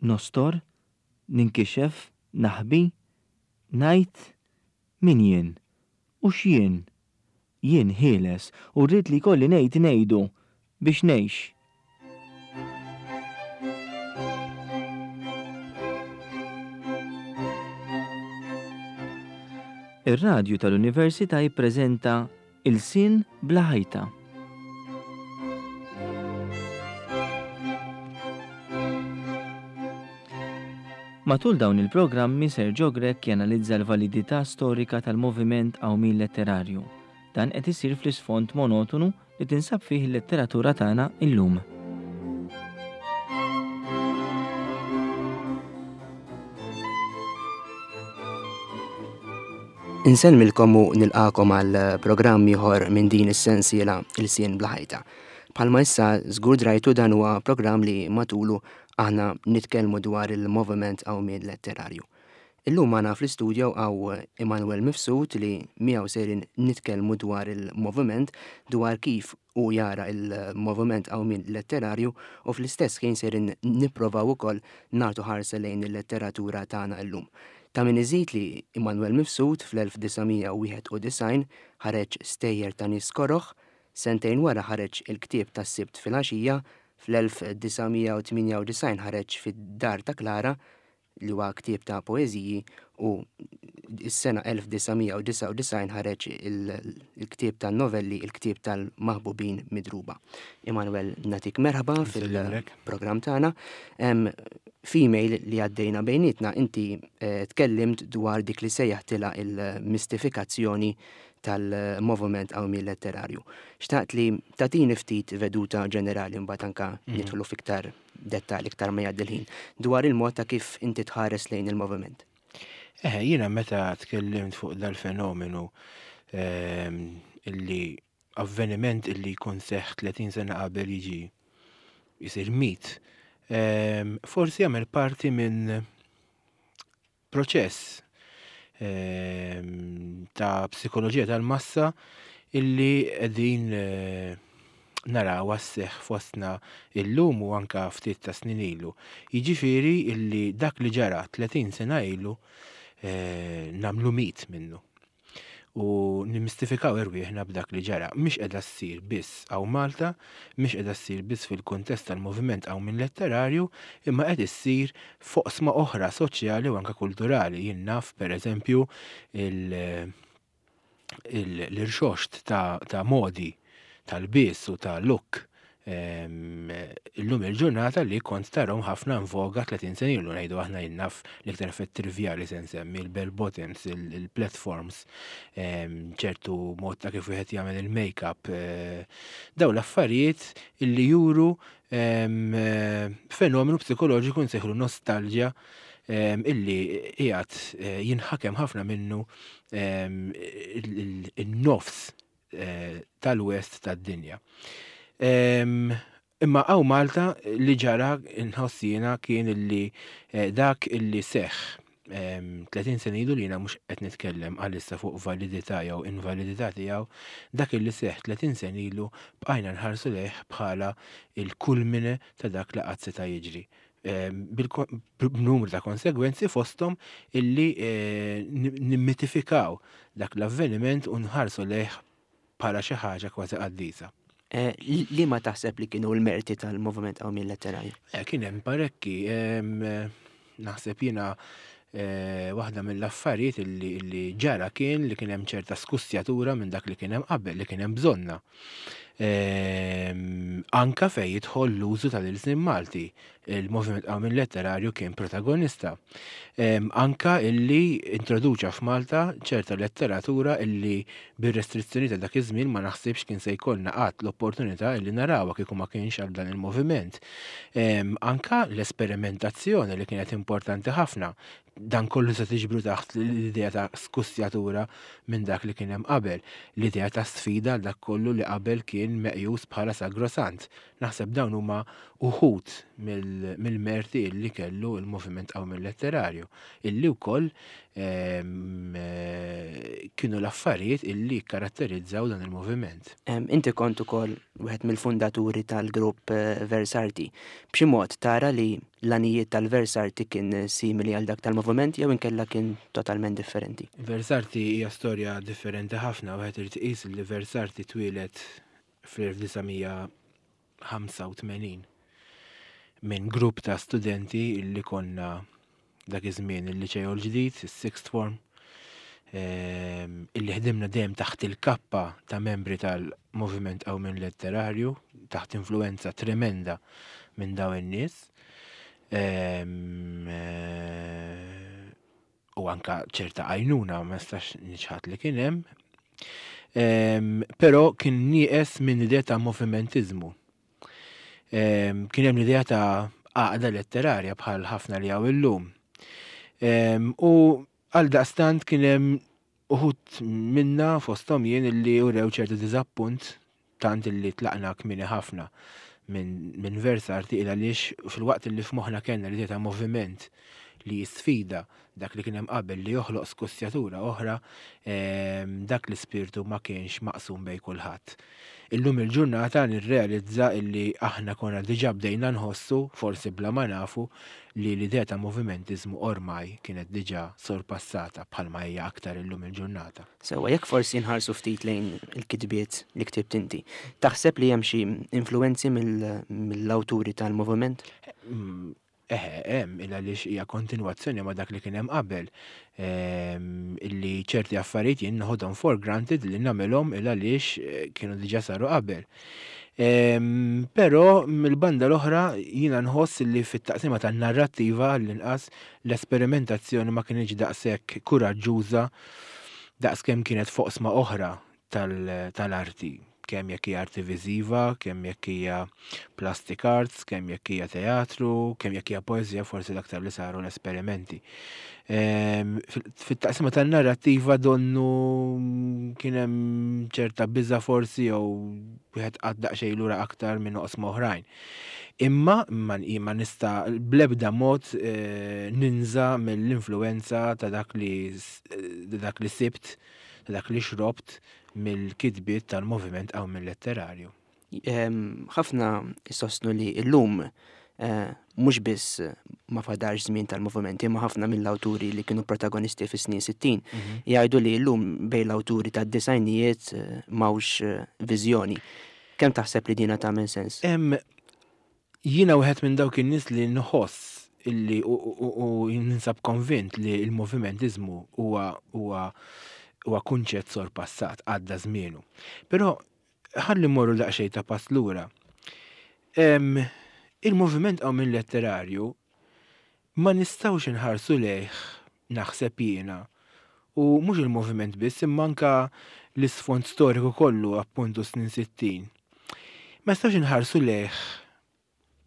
Nostor? Ninkixef? Naħbi? Ngħid? Min jien? U x'jien? Jien ħieles u rrid li jkolli ngħid ngħidu biex ngħix. Ir-radju tal-Università jippreżenta Ilsien bla ħajta. Matul dawn il-programmi Sergio Grech janalizza l-validità storika tal-moviment qawmien letterarju. Dan qed isir fl-isfond monotonu li tinsab fih il-letteratura tagħna illum. Insellmilkom u nilqagħkom għal programm ieħor minn din is-sensiela Ilsien Bla Ħajta. Bħalma issa żgur drajtu dan huwa programm li matulu aħna nitkellmu dwar il-moviment qawmien letterarju. Illum magħna fl-istudio hawn Immanuel Mifsud li miegħu sejrin nitkellmu dwar il-moviment, dwar kif hu jara il-moviment qawmien letterarju u fl-istess ħin sejrin nipprovaw ukoll nagħtu ħarsa lejn il-letteratura tagħna illum. Ta' min iżid li Immanuel Mifsud fl-1991 ħareġ Stejjer ta' Nies Koroh, sentejn wara ħareġ il-ktieb tas-Sibt Filgħaxija, fl-1998 ħareġ Fid-Dar ta' Klara, li huwa ktieb ta' poeżiji u s-sena 1999 ħareġ il-ktieb ta' novelli Il-ktieb tal-maħbubin midruba. Emanuel, natik merħba fil-programm tagħna. F'email li għaddejna bejnietna inti eh, tkellimt dwar dik li sejjaħtilha il-mistifikazzjoni tal-moviment qawmi letterarju. Xtaqt li tatini ftit veduta ġenerali mbagħad anka mhm. nidħlu fiktar dettal iktar ma jgħaddi l-ħin, dwar il-mod ta' kif inti tħares lejn il-moviment. Eh, jiena meta tkellimt fuq dal-fenomenu ehm, illi avveniment illi jkun seħ 30 sena qabel jiġi jisir mit, ehm, forsi jagħmel parti minn proċess ehm, ta' psikoloġija tal-massa illi qegħdin eh, naraw sseħħ fostna illum u anka ftit ta' snin ilu. Jiġifieri illi dak li ġara 30 sena ilu eh, nagħmlu mit minnu u nimmistifikaw irwieħna b'dak li ġara. Mhix qiegħda ssir biss hawn Malta, mhix qiegħda ssir biss fil-kuntest tal-moviment qawmien letterarju, imma qed issir f'oqsma oħra soċjali u anke kulturali. Jien naf pereżempju l-irxoxt ta' modi tal-bies u ta' look illum il-ġurnata li kont tarhom ħafna in voga 30 sena ilu ngħidu aħna jien naf l-iktar effett trivjali se nsemmi il-bell bottoms, il-platforms, ċertu mod ta' kif wieħed jagħmel il-makeup, eh, daw l-affarijiet illi juru fenomenu psikoloġiku nsejħlu nostalġja illi qiegħed eh, jinħakem ħafna minnu il-nofs eh, tal-west tad-dinja. Imma għaw Malta li ġara nħoss jiena kien illi eh, dak illi seħ 30 sena ilu li jiena mhux qed nitkellem għalissa fuq validità jew invalidità tiegħu, dak illi seħ 30 sena ilu bqajna nħarsu lejh bħala il-kulmine ta' dak li qatt seta' jiġri. B'numru ta' konsegwenzi fosthom illi eh, nimmitifikaw dak l-avveniment u nħarsu lejh bħala xi ħaġa kważi qaddisa. Eh, li ma taħseb li kienu l-merti tal-moviment qawmien letterarju? Eh, kien hemm parekki, naħseb jiena waħda mill-affarijiet li ġara kien li kien hemm ċerta skussjatura minn dak li kien hemm qabel, li kien hemm bżonna. Ehm, anka fej jidħol l-użu tal-ilsien Malti, il-Moviment Qawmien Letterarju kien protagonista. Ehm, anka illi introduċa f'Malta ċerta letteratura illi bir-restrizzjoni ta' dak iż-żmien ma naħsibx kien se jkollna qatt l-opportunità illi narawha kieku ma kienx għal dan il-moviment. Ehm, anka l-esperimentazzjoni li kienet importanti ħafna dan kollu se tiġbru taħt l-idea ta' skussjatura minn dak li kien hemm qabel, l-idea ta' sfida għal dak kollu li qabel kien kien meqjus bħala sagrosant. Naħseb dawn huma uħud mill-merti illi kellu il-moviment qawmien letterarju, illi wkoll ehm, eh, kienu l-affarijiet illi karatterizzaw dan il-moviment. Inti kont ukoll wieħed mill-fundaturi tal-grupp eh, Versarti. B'xi mod tara li l-għanijiet tal-Versarti kien simili għal dak tal-moviment jew inkella kien totalment differenti? Versarti hija storja differenti ħafna, wieħed irid iqis li Versarti twieled fl-1985 minn grupp ta' studenti li konna dak iż-żmien il-liċeo l-ġdid, is-sixth form, ehm, illi ħdimna dejjem taħt il-kappa ta' membri tal-Moviment Qawmien Letterarju, taħt influenza tremenda minn dawn in-nies. Ehm, eh, u anka ċerta għajnuna ma nistax niċħad li kien hemm. Ehm, però kien nieqes minn idea ta' movimentizmu. Ehm, kien hemm l-idea ta' għaqda letterarja bħal ħafna li hawn illum. Ehm, u għal daqstant kien hemm uħud minna fosthom jien illi urew ċertu diżappunt tant illi tlaqna kmieni ħafna minn min Versarti il għaliex fil-waqt illi f'moħħna kellna l-idea ta' moviment li jisfida dak li kien hemm qabel li joħloq skussjatura oħra, ehm, dak l-ispirtu ma kienx maqsum bej kulħadd. Illum il-ġurnata nirrealizza illi aħna konna diġà bdejna nħossu, forsi bla ma nafu, li l-idea ta' movimentiżmu ormai kienet diġà sorpassata bħalma hija aktar illum il-ġurnata. Sewwa, jekk forsi nħarsu ftit lejn il-kitbiet li ktibt inti, taħseb li hemm xi influwenzi mill-awturi tal-moviment? Mm, Eħe, hemm, il għaliex hija kontinwazzjoni ma' dak li kien hemm qabel. Ehm, illi ċerti affarijiet jien noħodhom for granted li nagħmilhom il għaliex eh, kienu diġà saru qabel. Ehm, però mill-banda l-oħra jiena nħoss li fit-taqsima tan-narrattiva għall-inqas l-esperimentazzjoni ma kinitx daqshekk kuraġġuża daqskemm kienet f'oqsma oħra tal-arti, kemm jekk hija arti viżiva, kemm jekk hija plastic arts, kemm jekk hija teatru, kemm jekk hija poeżija forsi l-aktar li saru l-esperimenti. Ehm, fit-taqsima tan-narrattiva donnu kien hemm ċerta biża forsi jew wieħed qatt daqsxejn lura aktar minn oqsma oħrajn. Imma ma nista' bl-ebda mod eh, ninża mill-influenza ta' dak li dak li sibt ta' dak li xrobt mill-kitbiet tal-moviment qawmien letterarju. Ehm, ħafna jsostnu li llum eh, mhux biss ma fadarx żmien tal-movimenti, ma ħafna mill-awturi li kienu protagonisti fis-snin 60 mhm. jgħidu li llum bejn l-awturi tad-disajnijiet eh, m'hawnx eh, viżjoni. Kemm taħseb li dina tagħmel sens? Jiena wieħed minn dawk in-nies li nħoss illi u ninsab konvint li l-movimentiżmu huwa huwa huwa kunċett sorpassat għadda żmienu. Però ħalli mmorru daqsxejn ta' pass lura. Il-moviment qawmien letterarju ma nistgħux inħarsu lejh naħseb jiena u mhux il-moviment biss imma anka l-isfond storiku kollu appuntu snin 60. Ma nistgħux inħarsu lejh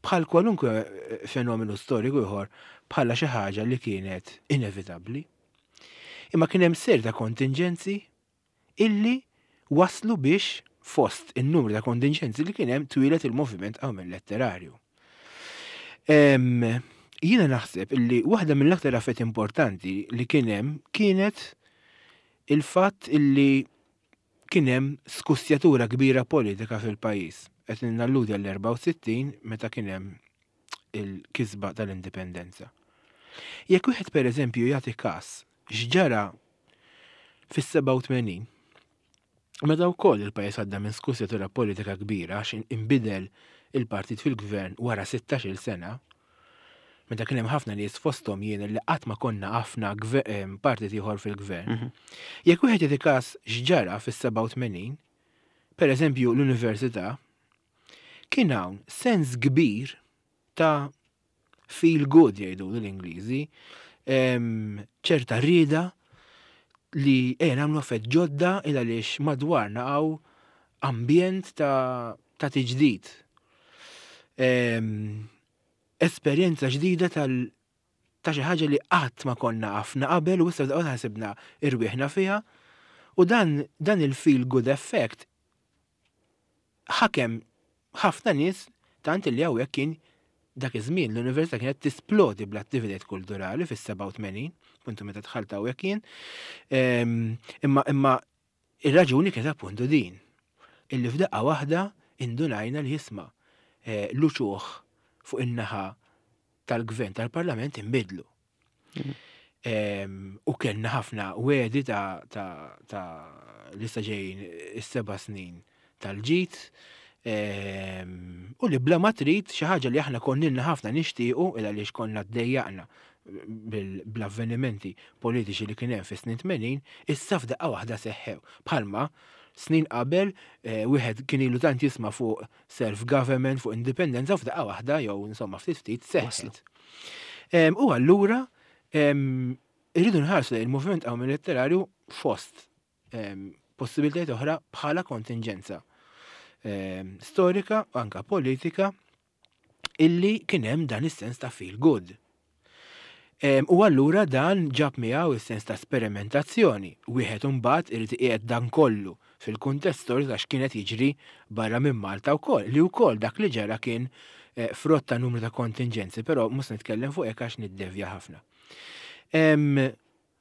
bħal kwalunkwe fenomenu storiku ieħor bħala xi ħaġa li kienet inevitabbli. Imma kien hemm ser ta' kontinġenzi illi waslu biex fost in-numru ta' kontinġenzi li kien hemm twieled il-moviment qawmien letterarju. Jiena naħseb illi waħda mill-aktar affett importanti li kien hemm kienet il-fatt illi kien hemm skussjatura kbira politika fil-pajjiż. Qed nalludi għall-64 meta kien hemm il-kisba tal-indipendenza. Jekk wieħed pereżempju jagħti każ x'ġara fis-87, meta wkoll il-pajjiż għadda minn skussjatura politika kbira għax inbidel il-partit fil-gvern wara 16-il sena, meta kien hemm ħafna nies fosthom jien li qatt ma konna għafna partit ieħor fil-gvern. Mhm. Jekk wieħed jagħti każ x'ġara fis-87, per eżempju l-università, kien hawn sens kbir ta' feel good jgħidu l-Ingliżi, ċerta rieda li ejja nagħmlu affett ġodda il għaliex madwarna hawn ambjent ta', ta tiġdid. Esperjenza ġdida tal ta' xi ħaġa li qatt ma konna għafna qabel u issa ħasibna irwieħna fiha u dan, dan il-feel good effect ħakem ħafna nies tant li hawnhekk kien dak iż-żmien l-università kienet tisplodi bl-attivitajiet kulturali fis-87, puntu meta dħalt hawnhekk jien. Ehm, imma imma ir-raġuni kienet appuntu din. Illi f'daqqa waħda indunajna li jisma' eh, l-uċuħ fuq in-naħa tal-gvern tal-parlament inbidlu. U kellna ħafna wedi ta' ta' li sa ġejjin is-seba' snin tal-ġid u li bla ma trid xi ħaġa li aħna konnilna ħafna nixtiequ il għaliex konna ddejjaqna bl-avvenimenti politiċi li kien hemm fis-snin 80, issa f'daqqa waħda seħħew. Bħalma snin qabel eh, wieħed kien ilu tant jisma' fuq self-government, fuq indipendenza u f'daqqa waħda jew insomma ftit ftit seħħet. U allura irridu nħarsu lejn il-moviment qawmi letterarju fost possibilitajiet oħra bħala kontinġenza storika u anka politika illi kien hemm dan is-sens ta' feel good. U allura dan ġab miegħu is-sens ta' sperimentazzjoni. Wieħed imbagħad irid iqiegħed dan kollu fil-kuntest storiku ta' x'kien qed jiġri barra minn Malta wkoll, li wkoll dak li ġara kien eh, frott ta' numru ta' kontinġenzi, però mhux nitkellem fuq hekk għax niddevja ħafna.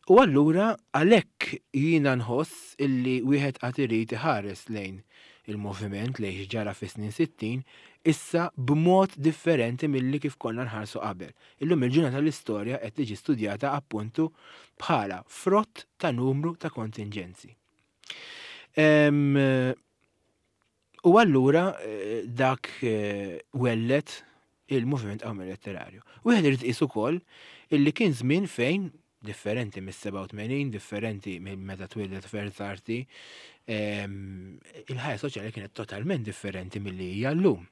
U allura għalhekk jiena nħoss illi wieħed għad irid iħares lejn il-moviment lejn x'ġara fis-snin 60 issa b'mod differenti milli kif konna nħarsu qabel. Illum il-ġurnata l-istorja qed tiġi studjata appuntu bħala frott ta' numru ta' kontinġenzi. U allura eh, dak eh, wellet il-moviment qawmi letterarju. Wieħed irid iqis ukoll illi kien żmien fejn differenti mis-87, differenti minn meta twildet Ferzarti, il-ħajja soċjali kienet totalment differenti milli hija llum.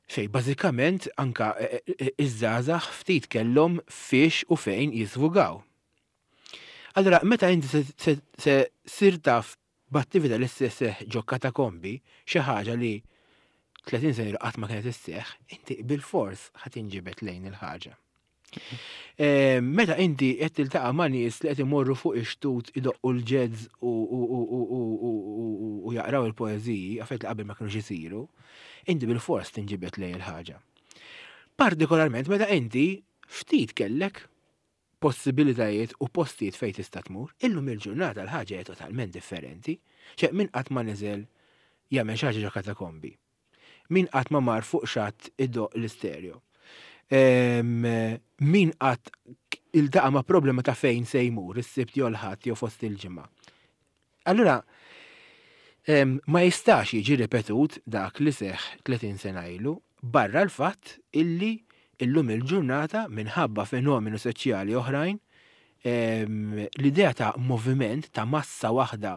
Fej bażikament anka eh, iż-żgħażagħ ftit kellhom fiex u fejn jiżvugaw. Allura, meta inti se ssir taf b'attività li sseħħ ġo katakombi, xi ħaġa li 30 sena ilu qatt ma kienet isseħħ, inti bilfors ħa tinġibed lejn il-ħaġa. Eh, meta inti qed tiltaqa' ma' nies li qed imorru fuq ix-xtut idoqqu l-jazz u jaqraw il-poeżiji, affarijiet li qabel ma kinux isiru, inti bilfors tinġibed lejn il-ħaġa. Partikolarment meta inti ftit kellek possibilitajiet u postijiet fejn tista' tmur. Illum il-ġurnata l-ħaġa hija totalment differenti. Ċe min qatt ma niżel jagħmel xi ħaġa ġo katakombi. Min qatt ma mar fuq xatt idoqq l-istereo. Min qatt iltaqa' ma' problema ta' fejn se jmur is-Sibt jew l-Ħadd jew fost il-ġimgħa. Allura, ma jistax jiġi ripetut dak li seħħ 30 sena ilu, barra l-fatt illi illum il-ġurnata minħabba fenomenu soċjali oħrajn, l-idea ta' moviment ta' massa waħda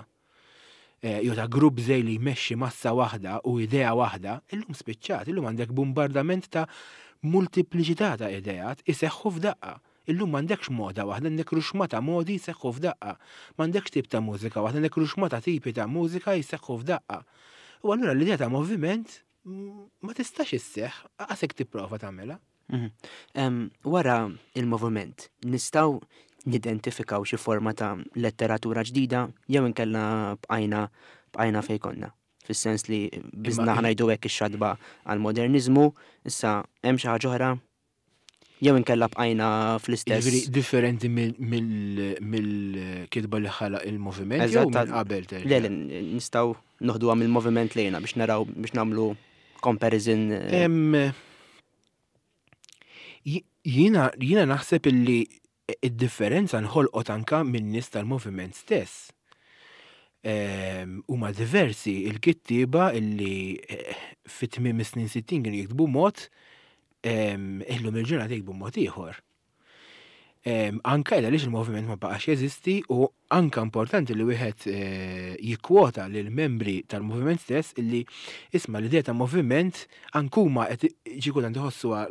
eh, jew ta' grupp żej li jmexxi massa waħda u idea waħda, illum spiċċat, illum għandek bombardament ta' multipliċità ta' ideat iseħħu f'daqqa. Illum m'għandekx moda waħda, għandek ruxma ta' modi jseħħu f'daqqa. M'għandekx tip ta' mużika waħda, għandek ruxma ta' tipi ta' mużika jseħħu f'daqqa. U allura l-idea ta' moviment ma tistax isseħħ, aqas jekk tipprova tagħmilha. Mhm. Wara il-moviment, nistgħu nidentifikaw xi forma ta' letteratura ġdida jew inkella bqajna bqajna fejn konna. Fis-sens li biżna ħnajdu hekk ix-xatba għall-moderniżmu, issa hemm xi ħaġa oħra Jew inkella bqajna fl-istess. Jiġifieri differenti mill-kitba li ħalaq il-moviment jew minn qabel terġa'? Le, le, nistgħu noħduha mill-moviment lejna biex naraw biex nagħmlu comparison. Jiena jiena naħseb illi id-differenza nħolqot anka min-nies tal-moviment stess. Huma diversi il-kittieba illi eh, fit tmiem is-snin 60 kienu jiktbu mod, illum il-ġurnata jiktbu mod ieħor. Anka għaliex il-moviment ma baqax jeżisti u anka importanti li wieħed eh, jikkwota lil membri tal-moviment stess illi isma' l-idea ta' moviment ankuma qed xi kultant iħossuha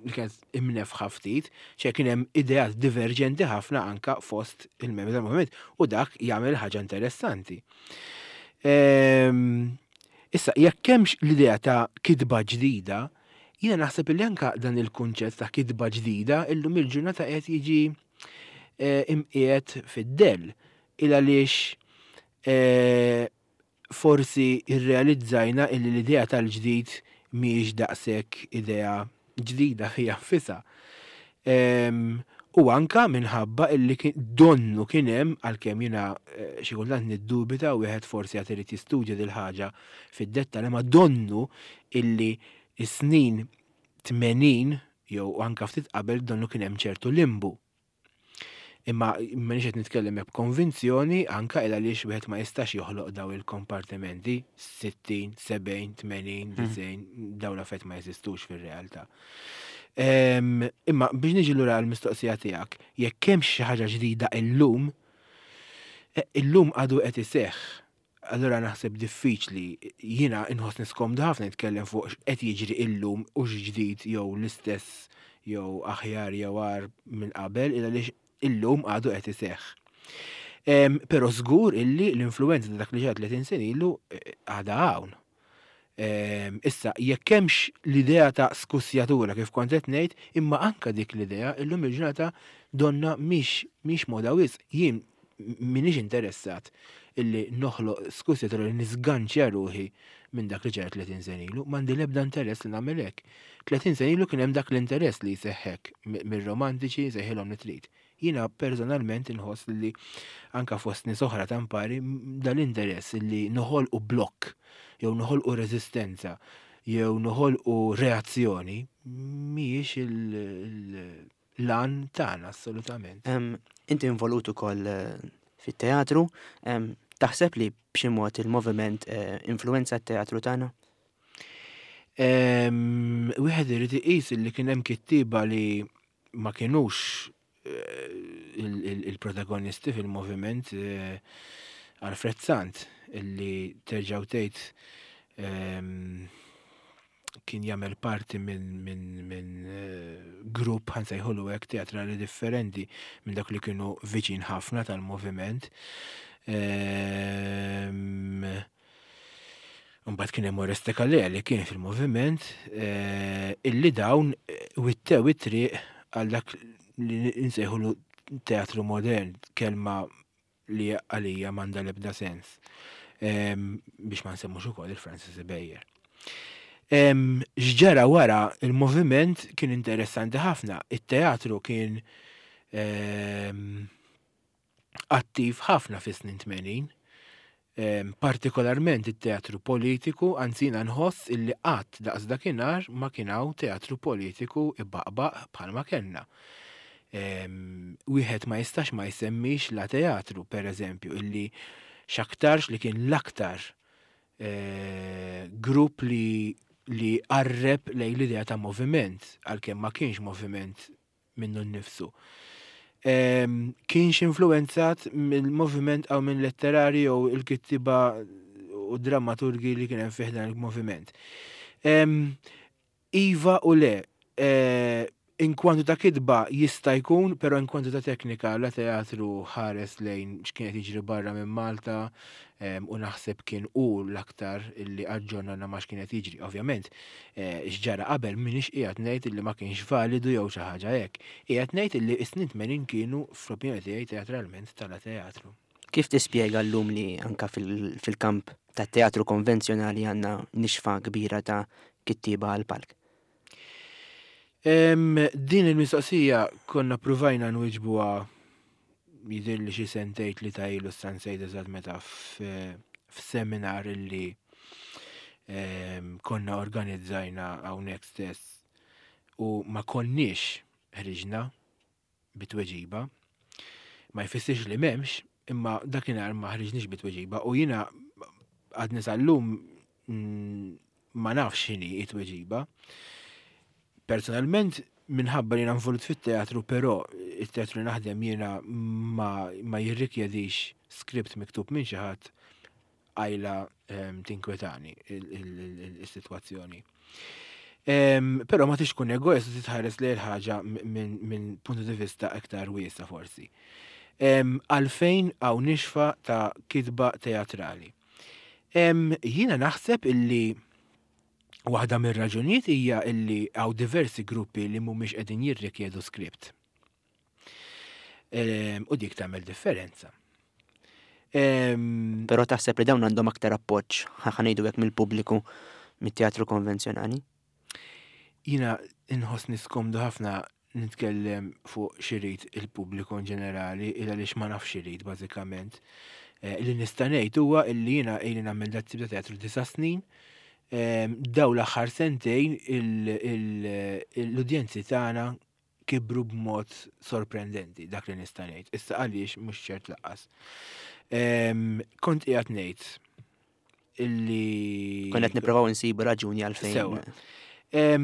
li kienet imnefħa ftit, ċe kien hemm ideat diverġenti ħafna anka fost il-membri tal-moviment u dak jagħmel ħaġa interessanti. Ehm, issa, jekk hemmx l-idea ta' kitba ġdida, jiena naħseb li anka dan il-kunċett ta' kitba ġdida illum il-ġurnata qed jiġi eh, imqiegħed fid-dell il għaliex eh, forsi irrealizzajna illi l-idea tal-ġdid mhijiex daqshekk idea ġdida fiha nfisha. U anka minħabba illi donnu kien hemm għalkemm jiena eh, xi kultant niddubita u wieħed forsi għad irid jistudja dil ħaġa fid-dettall, imma donnu illi s-snin 80 jew anka ftit qabel donnu kien hemm ċertu limbu. Imma m'iniex qed nitkellem hekk b'konvinzjoni anke il għaliex wieħed ma jistax joħloq daw il-kompartimenti 60, 70, 80, 90, daw l-affarijiet ma jeżistux fir-realtà. Imma biex niġi lura għall-mistoqsija tiegħek, jekk hemm xi ħaġa ġdida illum, eh, illum għadu qed iseħħ. Allura naħseb diffiċli, jiena inħossni skomdu ħafna nitkellem fuq x'qed jiġri illum u x'ġdid jew l-istess jew aħjar jew agħar minn qabel, il għaliex illum għadu qed iseħħ. Però żgur illi l-influenza ta' dak li ġara 30 sena ilu eh, għadha hawn. Issa, jekk hemmx l-idea ta' skussjatura kif kont qed ngħid, imma anka dik l-idea illum il-ġurnata donna mhix mhix moda wisq. Jien m'iniex interessat illi noħloq skussjatura li nisganċja ruħi minn dak li ġara 30 sena ilu, m'għandi l-ebda interess li nagħmel hekk. 30 sena ilu kien hemm dak l-interess li jseħħ hekk mir-romantiċi sejħilhom li trid. Jiena personalment inħoss li anka fost nies oħra ta' mpari dal-interess li noħolqu blokk jew noħolqu reżistenza jew noħolqu reazzjoni mhijiex l-għan tagħna assolutament. Inti involut ukoll eh, fit-teatru, taħseb li b'xi mod il-moviment eh, influenza t-teatru tagħna? Wieħed irid iqis li kien hemm kittieba li ma kinux il-protagonisti fil-moviment eh, Alfred Sant illi terġaw tgħid ehm, kien jagħmel parti minn min, min, eh, grupp ħansejħulu hekk teatrali differenti minn dak li kienu viċin ħafna tal-moviment. Ehm, Mbagħad kien hemm Oreste Calea li kien fil-moviment eh, illi dawn eh, wittew it-triq għal dak li nsejħulu teatru modern, kelma li għalija m'għandha l-ebda sens. Ehm, biex ma nsemmux ukoll il-Francis Beyer. Ehm, x'ġara wara il-moviment kien interessanti ħafna. It-teatru kien ehm, attiv ħafna fis-snin 80, partikolarment it-teatru politiku, anzi jiena nħoss illi qatt daqs dakinhar ma kien hawn teatru politiku ibaqbaq bħalma kellna. Wieħed ma jistax ma jsemmix la teatru, per eżempju, illi x'aktarx li kien l-aktar eh, grupp li li qarreb lejn l-idea ta' moviment, għalkemm ma kienx moviment minnu nnifsu. Ehm, kienx influenzat mill-moviment għaw minn letterari jew il-kittiba u drammaturgi li kien hemm fih dan il-moviment. Ehm, iva u le, eh, inkwantu ta' kitba jista' jkun, però inkwantu ta' teknika la teatru ħares lejn x'kien qed jiġri barra minn Malta ehm, u naħseb kien hu l-aktar illi aġġornana ma x'kien qed jiġri. Ovvjament, Eh, x'ġara qabel m'iniex qiegħed ngħid illi ma kienx validu jew xi ħaġa hekk. Qiegħed ngħid illi s-snin 80 kienu fl-opinjoni tiegħi teatralment tala teatru. Kif tispjega llum li anka fil-kamp tat-teatru konvenzjonali għandna nixfa kbira ta' kittieba għall-palk? Din il-mistoqsija konna provajna nwiġbuha jidhirli xi sentejn tlieta ilu issa nsejt eżatt meta f'seminar illi ehm, konna organizzajna hawnhekk stess u ma konniex ħriġna bitweġiba. Ma jfissirx li m'hemmx, imma dakinhar ma ħriġniex bitweġiba u jiena għadni sal-lum mm, ma nafx x'inhi it-tweġiba. Personalment, minħabba li jiena involut fit-teatru, però it-teatru li naħdem jiena ma, ma jirrikjedix skript miktub minn xi ħadd għajla ehm, tinkwetani il-sitwazzjoni. Ehm, però ma tix tkun egoist u titħares li l-ħaġa minn puntu di vista iktar wiesa forsi. Ehm, għalfejn hawn nixfa ta' kitba teatrali. Jiena naħseb illi waħda mir-raġunijiet hija illi hawn diversi gruppi li mhumiex qegħdin jirrikjedu skript. U dik tagħmel differenza. Però taħseb li dawn għandhom aktar appoġġ, ħa ngħidu hekk mill-pubbliku mit-teatru konvenzjonali? Jiena inħossni skomdu ħafna nitkellem fuq x'irid il-pubbliku in ġenerali, il għaliex ma nafx x'irid bażikament. Eh, li nista' ngħid huwa illi jiena ili nagħmel dat tip ta' teatru disa' snin. Daw l-aħħar sentejn l-udjenzi tagħna kibru b'mod sorprendenti dak li nista' ngħid. Issa għaliex mhux ċert laqqas. Kont qiegħed ngħid illi. Konna qed nipprovaw insibu raġuni għalfejn. Sewa. Eh,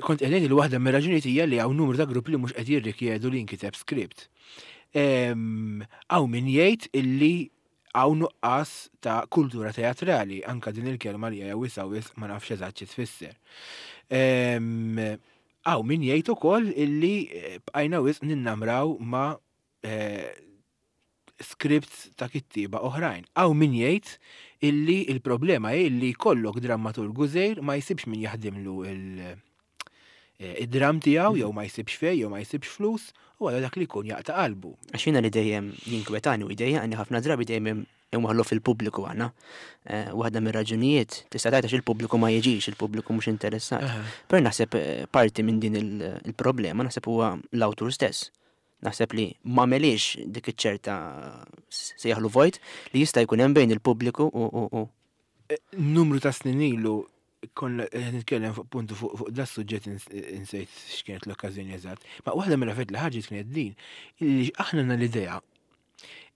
kont qed ngħid li waħda mir-raġunijiet hija li hawn numru ta' gruppi li mhux qed jirrikjedu li jinkiteb script. Hawn min jgħid illi hawn nuqqas ta' kultura teatrali, anka din il-kelma li hija wisa wisq ma nafx eżatt xi tfisser. Hawn min jgħid ukoll illi eh, bqajna wisq ninnamraw ma' eh, scripts ta' kittieba oħrajn. Hawn min jgħid illi il-problema hi illi jkollok drammaturgu żgħir ma jsibx min jaħdimlu il- eh, id-dram tiegħu jew ma jsibx fej jew ma jsibx flus u għal dak li jkun jaqta' qalbu. Għax jiena li dejjem jinkwetani u jdejjaqni ħafna drabi dejjem inwaħħlu fil-pubbliku aħna. Eh, waħda mir-raġunijiet tista' tgħid għax il-pubbliku ma jiġix, il-pubbliku mhux interessat. Però naħseb eh, parti minn din il-problema naħseb huwa l-awtur stess. Naħseb li ma meliex dik iċ-ċerta sejjaħlu vojt li jista' jkun hemm bejn il-pubbliku u eh, Numru ta' snin ilu konna nitkellem fuq puntu fuq da suġġett insejt x'kienet l-okkażjoni eżatt. Ma waħda mill-affarijiet li ħarġet kienet din, illi aħna għandna l-idea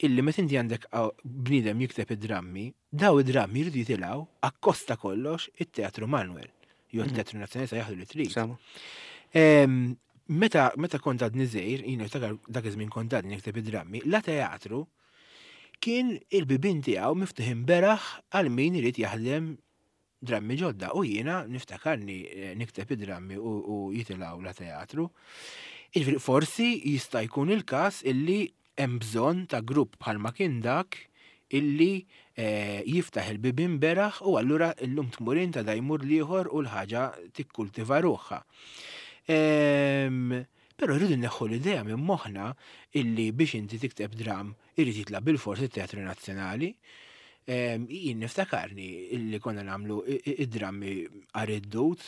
illi meta inti għandek bniedem jikteb id-drammi, daw id-drammi jridu jitilgħu akkosta kollox it-Teatru Manuel. Jew mhm. it-Teatru Nazzjonali sa jaħdu li trid. Meta meta kont għadni żgħir, jien niftakar dak iż-żmien kont għadni nikteb id-drammi, la teatru kien il-bibien tiegħu miftuħin beraħ għal min irid jaħdem drammi ġodda u jiena niftakarni eh, nikteb id-drammi u jitilgħu la teatru. Jiġifieri forsi jista' jkun il-każ illi hemm bżonn ta' grupp bħalma kien dak illi eh, jiftaħ il-bibien beraħ u allura illum tmur int għada jmur l-ieħor u l-ħaġa tikkultiva ruħha. Ehm, però rridu neħħu l-idea minn moħħna illi biex inti tikteb dram irid jitla' bilfors it-Teatru Nazzjonali. Ehm, jien niftakarni illi konna nagħmlu id-drammi għar-id-dut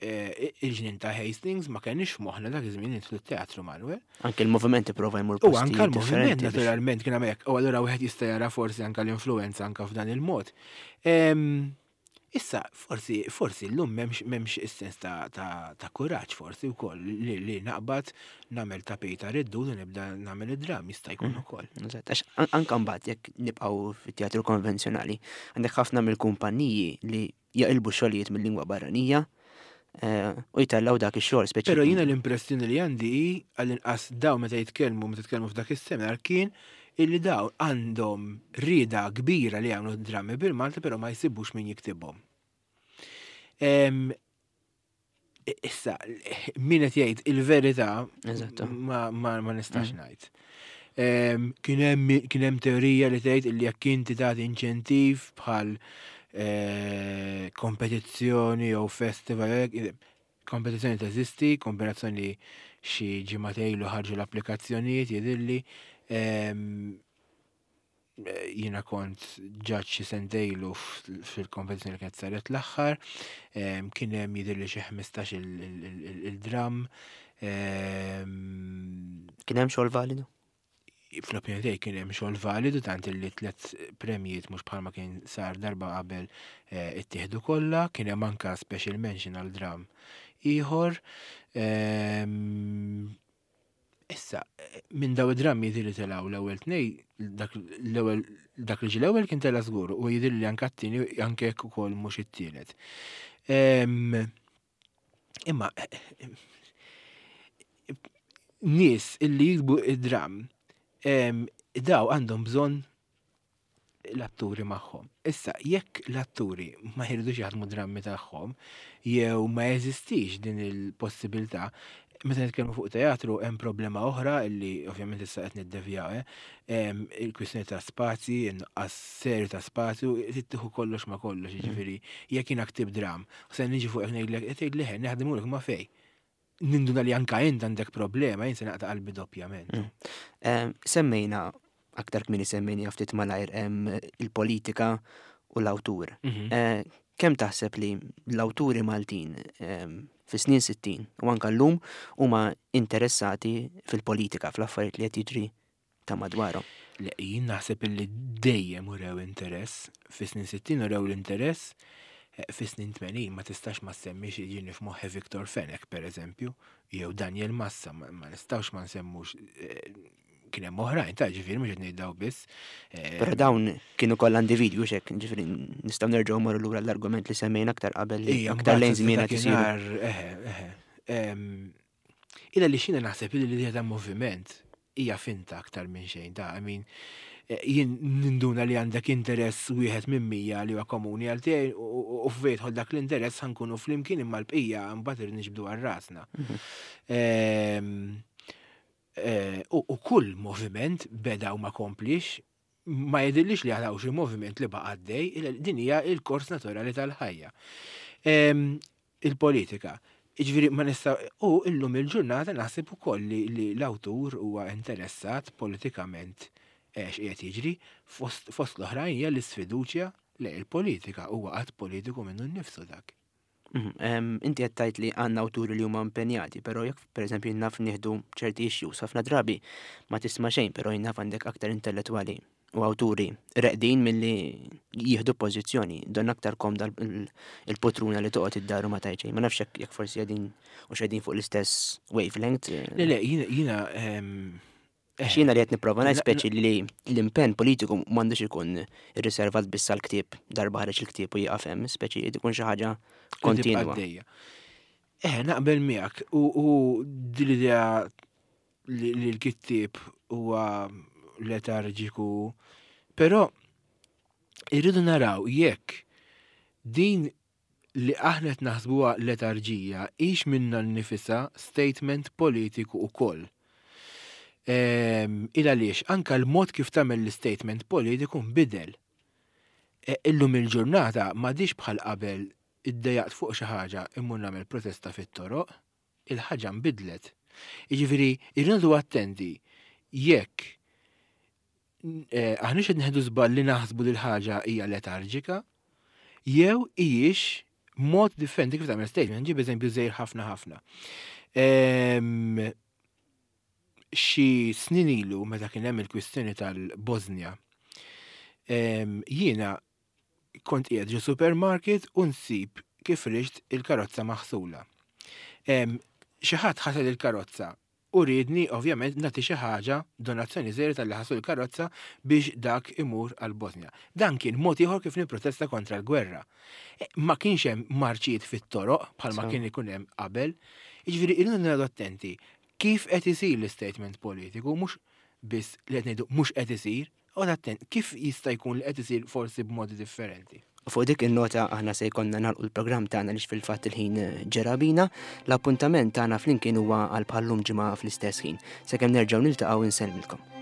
eh, il-ġnien ta' Hastings ma kenniex f'moħħna dak iż-żmien nidħlu t-Teatru Manuel. Anke l-moviment ipprova jmur U anke l-moviment naturalment kien hemmhekk. U allura wieħed jista' jara forsi anke l-influenza anke f'dan il-mod. Ehm, issa, forsi, forsi llum m'hemmx is-sens ta', ta, ta kuraġġ forsi wkoll li, li naqbad nagħmel tapita riddu u nibda nagħmel id-dram jista' jkun mm. ukoll. Eżatt, għax anke mbagħad jekk nibqgħu fit-teatru konvenzjonali, għandek ħafna mill-kumpaniji li jaqilbu xogħlijiet mill-lingwa barranija eh, u jtellgħu dak ix-xogħol speċi. Però jiena l-impressjoni li għandi hi għall-inqas dawn meta jitkellmu meta tkellmu f'dak is-seminar kien illi dawn għandhom rieda kbira li jagħmlu drammi bil-Malti però ma jsibux min jiktibhom. Issa, min qed jgħid il-verità ma, ma, ma nistax mm. ngħid. Kien hemm teorija li tgħid li jekk inti tagħti inċentiv bħal eh, kompetizzjoni jew festival, kompetizzjoni teżisti, kombinazzjoni xi ġimagħtejlu ħarġu l-applikazzjonijiet jidhirli. Jiena kont ġaġġ xi sentejlu fil-kompetizzjoni li kienet saret l-aħħar, kien hemm jidhirli xi 15 il-dram. Kien hemm xogħol validu? Fl-opinjoni tiegħi kien hemm xogħol validu tant li tliet premjiet mhux bħalma kien sar darba qabel eh, ittieħdu kollha, kien hemm anka special mention għal dram ieħor. Issa, minn daw id-drammi jidhirli telgħu l-ewwel tnej, dak l-ewwel dak li ġie l-ewwel kien tela' żgur u jidhirli li anke t-tieni anke jekk ukoll mhux it-tielet. Imma nies illi jiktbu id-dramm daw għandhom bżonn l-atturi magħhom. Issa, jekk l-atturi ma jridux jaħdmu drammi tagħhom, jew ma jeżistix din il-possibilità, meta nitkellmu fuq teatru hemm problema oħra illi ovvjament issa qed niddevjaw, eh, il-kwistjoni ta' spazji, in-nuqqas serju ta' spazju, trid tieħu kollox ma' kollox, jiġifieri jekk jiena ktibt dramm, u se niġi fuqek ngħidlek, tgħidli ħe, naħdimulek ma' fejn. ninduna li anka int għandek problema, jien se naqta' qalbi doppjament. Semmejna aktar kmieni semmejna ftit malajr il-politika u l-awtur. Kemm taħseb li l-awturi Maltin fis-snin 60 u anka llum huma interessati fil-politika, fl-affarijiet li qed jiġri ta' madwarhom? Le, jien naħseb illi dejjem urew interess, fis-snin 60 urew l-interess, fis-snin 80 ma tistax ma semmix jiġini f'moħħi Victor Fenech per eżempju, jew Daniel Massa, ma nistgħux ma nsemmux kien hemm oħrajn ta' ġifieri mhux qed ngħid daw biss. Però dawn kienu kollha individwi u x'hekk, ġifieri nistgħu nerġgħu mmorru lura l-argument li semmejna aktar qabel li aktar lejn żmien qed isiru. Eħe, eħe. Illa li xina naħseb li l-idea ta' moviment hija finta aktar minn xejn ta' I mean, jien ninduna li għandek interess wieħed minn 100 li huwa komuni għal tiegħi u fejn jidħol dak l-interess ħa nkunu flimkien imma l-bqija mbagħad irid niġbdu għal rasna. U kull moviment beda u ma komplix, ma jidhirlix li għad hawn xi moviment li baqa' għaddej, din hija l-kors naturali tal-ħajja. Il-politika. Jiġifieri ma nista' u illum il-ġurnata naħseb ukoll li l-awtur huwa interessat politikament x'qiegħed jiġri, fost l-oħrajn hija l-isfiduċja lejn il-politika, huwa att politiku minnu nnifsu dak. Inti qed tgħid li għandna awturi li huma impenjati, però jekk pereżempju jien naf nieħdu ċerti issues, ħafna drabi ma tisma' xejn, però jien naf għandek aktar intellettwali u awturi reqdin milli jieħdu pożizzjoni, donna aktar komda il-potruna li toqgħod id-dar u ma tgħid xejn. Ma nafx jekk forsi qegħdin u x'qegħdin fuq l-istess wavelength. Le, le, jiena Għax jiena li qed nipprova ngħid speċi li l-impenn politiku m'għandux ikun irriservat biss għall-ktieb, darba ħareġ il-ktieb u jieqaf hemm, speċi jrid ikun xi ħaġa kontinwa. Eh, naqbel miegħek u din l-idea li l-kittieb huwa letarġiku, però irridu naraw jekk din li aħna qed naħsbuha letarġija hix minnha nnifisha statement politiku wkoll. Ehm, il għaliex anka l-mod kif tagħmel l-statement politiku nbidel. E, illum il-ġurnata m'għadix bħal qabel iddejaqt fuq xi ħaġa immur nagħmel protesta fit-toroq, il-ħaġa nbidlet. Jiġifieri irridu attenti jekk eh, aħniex qed nieħdu żball li naħsbu li l-ħaġa hija letarġika, jew hijiex mod differenti kif tagħmel statement. Nġib eżempju żgħir ħafna ħafna. Ehm, xi snin ilu meta kien hemm il-kwistjoni tal-Bosnia, ehm, jiena kont qiegħed ġo supermarket u nsib kif rixt il-karozza maħsula. Ehm, xi ħadd ħasel il-karozza u riedni ovvjament nagħti xi ħaġa, donazzjoni żgħira talli ħaslu l-karozza biex dak imur għall-Bosnja. Dan kien mod ieħor kif nipprotesta kontra l-gwerra. E, ma kienx hemm marċijiet fit-toroq bħalma kien ikun hemm qabel. Jiġifieri irridu noqogħdu attenti kif qed isir l-istatement politiku mhux biss li qed ngħidu mhux qed isir, Oqgħod attent, kif jista' jkun li qed isir forsi b'modi differenti? U fuq dik in-nota aħna se jkollna nagħlqu l-programm tagħna għaliex fil-fatt il-ħin ġera bina. L-appuntament tagħna flimkien huwa għal bħal-lum ġimgħa fl-istess ħin. Sakemm nerġgħu niltaqgħu insellmilkom.